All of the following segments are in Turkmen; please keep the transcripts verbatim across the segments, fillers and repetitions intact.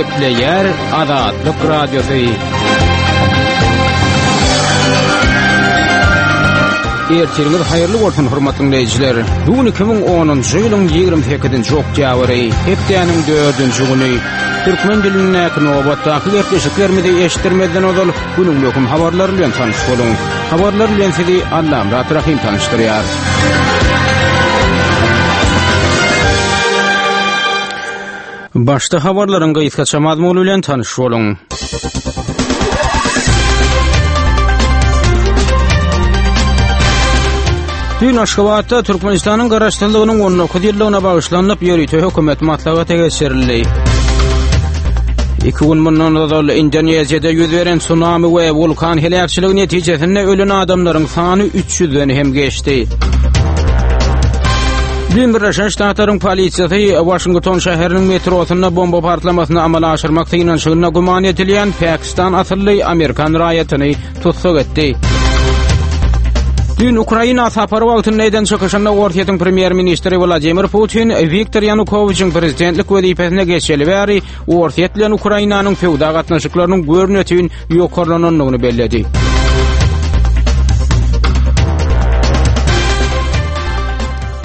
Gepleýär Azatlyk Radiosy. Ertiriňiz haýyrly bolsun, hormatly dinleýjiler. Bu gün iki müň onunjy ýylyň ýigrimi sekizinji oktýabry, hepdäniň dördünji güni. Türkmen dilindäki nobatdaky gepleşiklerimizi eşitdirmezden ozal günüň möhüm habarlary bilen tanyş boluň. Habarlar bilen sizi Allamyrat Rahym tanyşdyrýar. Başda habarlaryň gysgaça mazmuny bilen tanyş boluň. Düýn Aşgabatda Türkmenistanyň Garaşsyzlygynyň on dokuz ýyllygyna bagyşlanyp ýörite hökümet maslahaty geçirildi. Iki gün mundan ozal Indoneziýada ýüz beren tsunami we wulkan heläkçiligi netijesinde ölen adamlaryň sany üç ýüzden hem geçdi. Düýn Birleşen Ştatlaryň polisiýasy Waşington şäheriniň metrosynda bomba partlamasyny amala aşyrmak synanyşygynda güman edilýän Pakistan asylly amerikan raýatyny tussag etdi. Düýn Ukraina sapary wagtynda eden çykyşynda Orsýetiň premýer-ministri Wladimir Putin Wiktor Ýanukowiçiň prezidentlik wezipesine geçeli bäri Orsýet bilen Ukrainanyň söwda gatnaşyklarynyň görnetin ýokarlanandygyny belledi.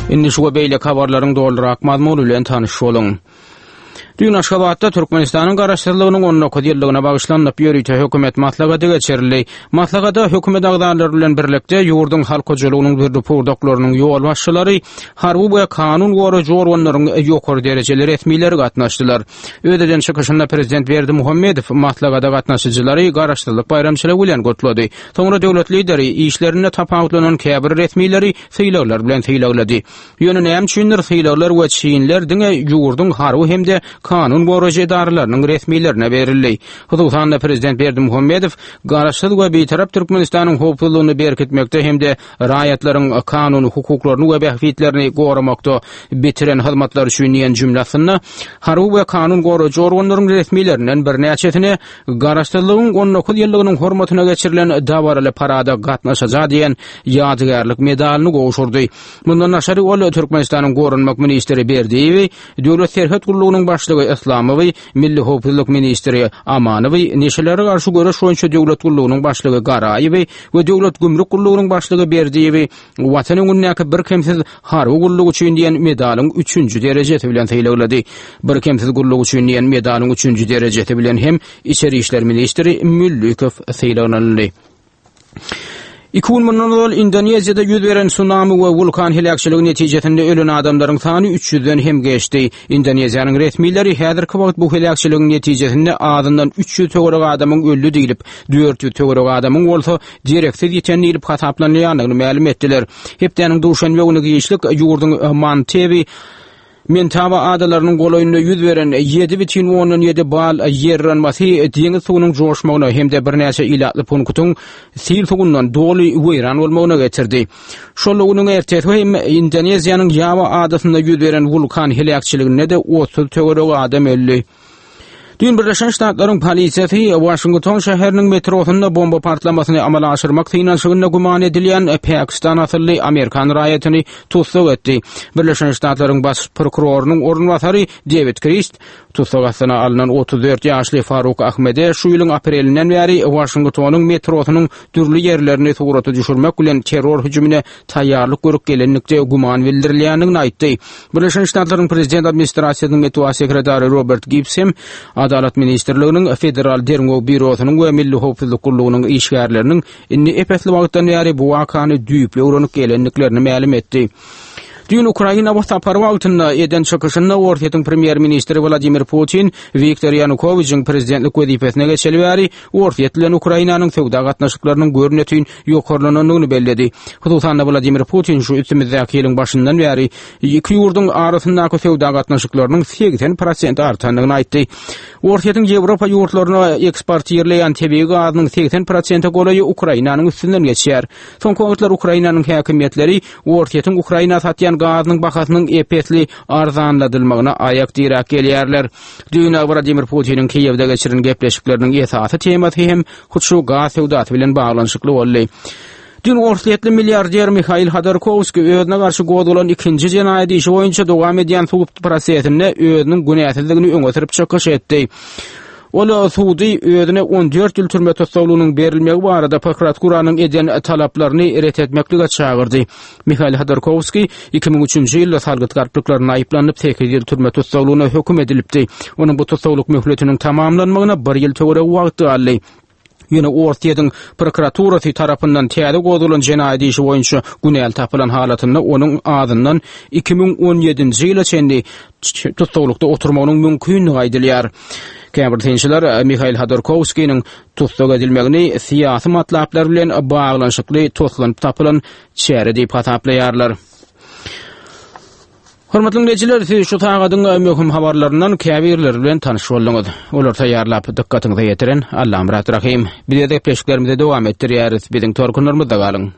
Indi şu we beýleki habarlaryň dolurak mazmuny bilen tanyş boluň. Düýn Aşgabatda Türkmenistanyň Garaşsyzlygynyň on dokuz ýyllygyna bagyşlanyp ýörite hökümet maslahaty geçirildi. Maslahata hökümet agzalary bilen birlikde ýurduň halk hojalygynyň dürli pudaklarynyň ýolbaşçylary, harby we kanun goraýjy organlaryň ýokary derejeli resmileri gatnaşdylar. Öz eden çykyşynda Prezident Berdimuhamedow maslahata gatnaşyjylary Garaşsyzlyk baýramçylygy bilen gutlady. Soňra döwlet lideri işlerinde tapawutlanan käbir resmileri sylaglar bilen sylaglady. Ýöne näme üçindir sylaglar we çinler diňe ýurduň harby hem-de kanun goraýjy edaralarynyň resmilerine berildi. Hususan-da Prezident Berdimuhamedow Garaşsyz we Bitarap Türkmenistanyň howpsuzlygyny berkitmekde hem-de raýatlaryň kanuny hukuklaryny we bähbitlerini goramakda bitiren hyzmatlary üçin diýen jümle astynda harby we kanun goraýjy organlaryň resmilerinden birnäçesine Garaşsyzlygyň on dokuz ýyllygynyň hormatyna geçirilen dabaraly parada gatnaşaja diýen ýadygärlik medalyny gowşurdy. Mundan daşary ol Türkmenistanyň Goranmak ministri Berdiýewi, Döwlet serhet gullugynyň başlygy Islamowy, Milli howpsuzlyk ministri Amanowy, Neşelere garşy göreş boýunça döwlet gullugynyň başlygy Garaýewi we Döwlet gümrük gullugynyň başlygy Berdiýewi Watan öňündäki birkemsiz harby gulluk üçin diýen medalyň üçünji derejesi bilen sylaglady. Birkemsiz gulluk üçin diýen medalyň üçünji derejesi bilen hem Içeri işler ministri Müllükow sylaglanyldy. Iki gün mundan ozal Indoneziýada ýüz beren tsunami we wulkan heläkçiligi netijesinde ölen adamlaryň sany üç ýüzden hem geçdi. Indoneziýanyň resmileri häzirki wagt bu heläkçiligiň netijesinde azyndan üç ýüz töweregi adamyň öldi diýlip, dört ýüz töweregi adamyň bolsa dereksiz ýiten diýlip hasaplanylýandygyny mälim etdiler. Hepdäniň duşenbe güni giçlik ýurduň Mantewi Mentaba adalarynyň golaýynda ýüz beren ýedi bütin ondan ýedi bal ýer yranmasy deňiz suwunyň joşmagyna hem-de birnäçe ilatly punktyň sil suwundan doly weýran bolmagyna getirdi. Şol günüň ertesi hem Indoneziýanyň Ýawa adasynda ýüz beren wulkan heläkçiliginde-de otuz töweregi adam öldi. Düýn Birleşen Ştatlaryň polisiýasy Waşington şäheriniň metrosynda bomba partlamasyny amala aşyrmak synanyşygynda güman edilýän Pakistan asylly amerikan raýatyny tussag etdi. Birleşen Ştatlaryň baş prokurorynyň orunbasary Dewid Krist tussag astyna alnan otuz dört ýaşly Faruk Ahmede şu ýylyň aprelinden bäri Waşingtonyň metrosynyň dürli ýerlerini surata düşürmek bilen terror hüjümine taýýarlyk görüp gelenlikde güman bildirilýändigini aýtdy. Birleşen Ştatlaryň Prezident administrasiýasynyň metbugat sekretary Robert Gibbs hem Adalat ministrliginiň, Federal derňew býurosynyň we Milli howpsuzlyk gullugynyň işgärleriniň indi ep-esli wagtdan bäri bu wakany düýpli öwrenip gelendiklerini mälim etdi. Düýn Ukraina bu sapary wagtynda eden çykyşynda Orsýetiň premýer-ministri Wladimir Putin Wiktor Ýanukowiçiň prezidentlik wezipesine geçeli bäri Orsýet bilen Ukrainanyň söwda gatnaşyklarynyň görnetin ýokarlanandygyny belledi. Hususan-da Wladimir Putin şu üstümizdäki ýylyň başyndan bäri iki ýurduň arasyndaky söwda gatnaşyklarynyň segsen prosent artandygyny aýtdy. Orsýetiň Ýewropa ýurtlaryna eksportirleýän tebigy gazynyň segsen prosente golaýy Ukrainanyň üstünden geçýär. Soňky wagtlar Ukrainanyň häkimiýetleri Orsýetiň Ukraina satýan gazynyň bahasynyň ep-esli arzanladylmagyna aýak diräp gelýärler. Düýn Wladimir Putiniň Kiýewde geçiren gepleşikleriniň esasy temasy hem hut şu gaz söwdasy bilen baglanyşykly boldy. Düýn orsýetli milliarder Mihail Hodorkowskiý özüne garşy gozgalan ikinji jenaýat işi boýunça dowam edýän sud prosesinde özüniň günäsizligini öňe sürüp çykyş etdi. Ol sudy özüne on dört ýyl türme tussaglygynyň berilmegi barada prokuraturanyň eden talaplaryny ret etmeklige çagyrdy. Mihail Hodorkowskiý iki müň üçünji ýylda salgyt galplyklarynda aýyplanyp, sekiz ýyl türme tussaglygyna höküm edilipdi. Onuň bu tussaglyk möhletiniň tamamlanmagyna bir ýyl töweregi wagt galdy. Ýöne Orsýetiň prokuraturasy tarapyndan täze gozgalan jenaýat işi boýunça günäli tapylan halatynda onuň azyndan iki müň on ýedinji ýyla çenli tussaglykda oturmagynyň mümkindigi aýdylýar. Käbir synçylar Mihail Hodorkowskiniň tussag edilmegini syýasy matlaplar bilen baglanyşykly toslanyp tapylan çäre diýip hasaplaýarlar. Hormatly dinleýjiler, siz şu sagadyň möhüm habarlaryndan käbirleri bilen tanyş bolduňyz. Olary taýýarlap, dykgatyňyza ýetiren Allamyrat Rahym. Biz gepleşiklerimizi dowam etdirýäris. Biziň tolkunlarymyzda galyň.